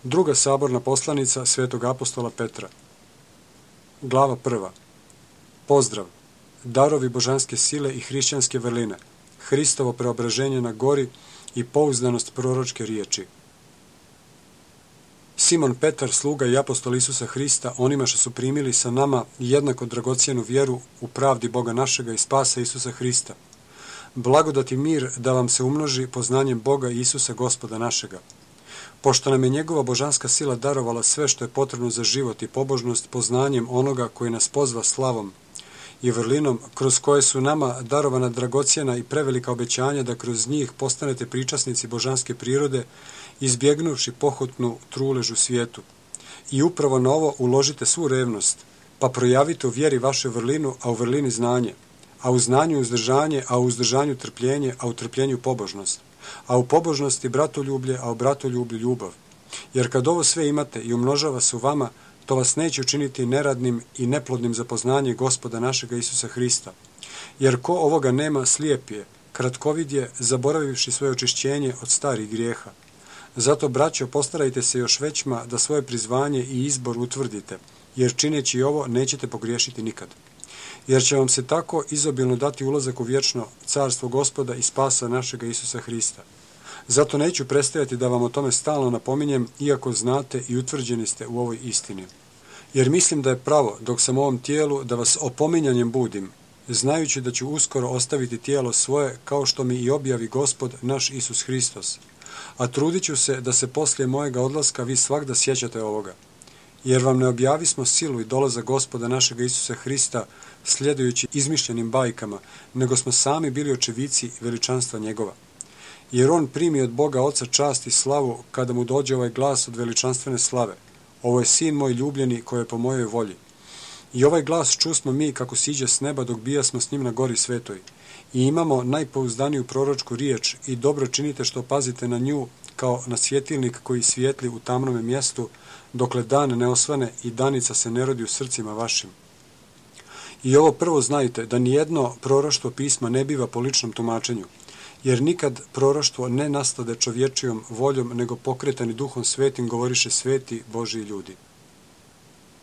Druga saborna poslanica svetog apostola Petra. Glava 1. Pozdrav, darovi božanske sile i hrišćanske vrline, Hristovo preobraženje na gori i pouzdanost proročke riječi. Simon Petar, sluga i apostol Isusa Hrista, onima što su primili sa nama jednako dragocijenu vjeru u pravdi Boga našega i spasa Isusa Hrista. Blagodat i mir da vam se umnoži poznanjem Boga i Isusa Gospoda našega. Pošto nam je njegova božanska sila darovala sve što je potrebno za život i pobožnost poznanjem onoga koji nas pozva slavom i vrlinom, kroz koje su nama darovana dragocijena i prevelika obećanja da kroz njih postanete pričasnici božanske prirode, izbjegnuvši pohotnu trulež u svijetu. I upravo na ovo uložite svu revnost, pa projavite u vjeri vašu vrlinu, a u vrlini znanje, a u znanju uzdržanje, a u uzdržanju trpljenje, a u trpljenju pobožnost, a u pobožnosti bratoljublje, a u bratoljublju ljubav. Jer kad ovo sve imate i umnožava se u vama, to vas neće učiniti neradnim i neplodnim za poznanje Gospoda našega Isusa Hrista. Jer ko ovoga nema, slijep je, kratkovid je, zaboravivši svoje očišćenje od starih grijeha. Zato, braćo, postarajte se još većma da svoje prizvanje i izbor utvrdite, jer čineći ovo nećete pogriješiti nikad. Jer će vam se tako izobilno dati ulazak u vječno carstvo Gospoda i spasa našega Isusa Hrista. Zato neću prestajati da vam o tome stalno napominjem, iako znate i utvrđeni ste u ovoj istini. Jer mislim da je pravo, dok sam u ovom tijelu, da vas opominjanjem budim, znajući da ću uskoro ostaviti tijelo svoje, kao što mi i objavi Gospod naš Isus Hristos. A trudit ću se da se poslije mojega odlaska vi svagda sjećate ovoga. Jer vam ne objavismo silu i dolazak Gospoda našega Isusa Hrista sljedujući izmišljenim bajkama, nego smo sami bili očevici veličanstva njegova. Jer on primi od Boga Oca čast i slavu kada mu dođe ovaj glas od veličanstvene slave. Ovo je sin moj ljubljeni koji je po mojoj volji. I ovaj glas čusmo mi kako siđe s neba dok bijasmo s njim na gori svetoj. I imamo najpouzdaniju proročku riječ i dobro činite što pazite na nju kao na svjetilnik koji svijetli u tamnome mjestu dokle dan ne osvane i danica se ne rodi u srcima vašim. I ovo prvo znajte da nijedno proroštvo pisma ne biva po ličnom tumačenju, jer nikad proroštvo ne nastade čovječijom voljom, nego pokretani Duhom Svetim govoriše sveti Božji ljudi.